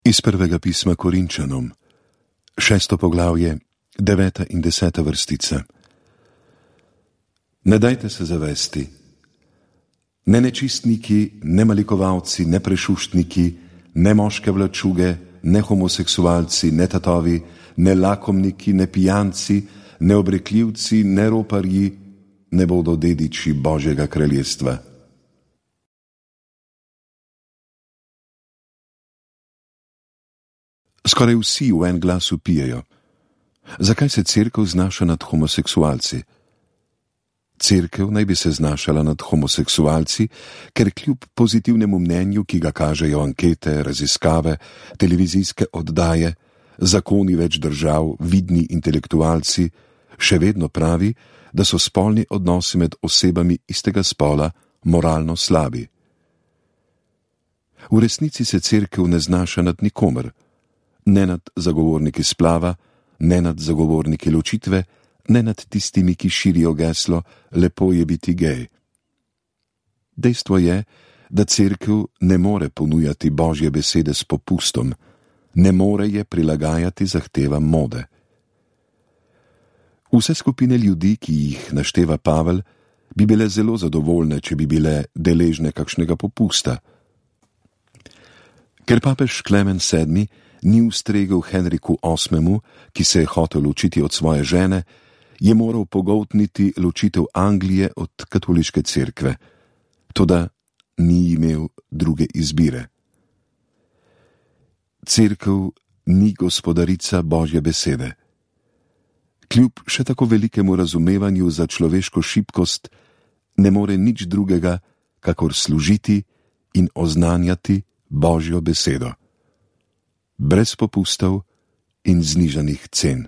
Iz prvega pisma Korinčanom, 6. poglavje, 9. in 10. vrstica. Ne dajte se zavesti. Ne nečistniki, ne malikovalci, ne prešuštniki, ne moške vlačuge, ne homoseksualci, ne tatovi, ne lakomniki, ne pijanci, ne obrekljivci, ne roparji ne bodo dediči Božjega kraljestva. Skoraj vsi v en glas vpijejo: zakaj se cerkev znaša nad homoseksualci? Cerkev naj bi se znašala nad homoseksualci, ker kljub pozitivnemu mnenju, ki ga kažejo ankete, raziskave, televizijske oddaje, zakoni več držav, vidni intelektualci, še vedno pravi, da so spolni odnosi med osebami istega spola moralno slabi. V resnici se cerkev ne znaša nad nikomer, ne nad zagovorniki splava, ne nad zagovorniki ločitve, ne nad tistimi, ki širijo geslo lepo je biti gej. Dejstvo je, da cerkev ne more ponujati Božje besede s popustom, ne more je prilagajati zahtevam mode. Vse skupine ljudi, ki jih našteva Pavel, bi bile zelo zadovoljne, če bi bile deležne kakšnega popusta. Ker papež Klemen VII ni ustregel Henriku VIII, ki se je hotel ločiti od svoje žene, je moral pogoltniti ločitev Anglije od katoliške cerkve, toda ni imel druge izbire. Cerkev ni gospodarica Božje besede. Kljub še tako velikemu razumevanju za človeško šibkost, ne more nič drugega, kakor služiti in oznanjati Božjo besedo. Brez popustov in znižanih cen.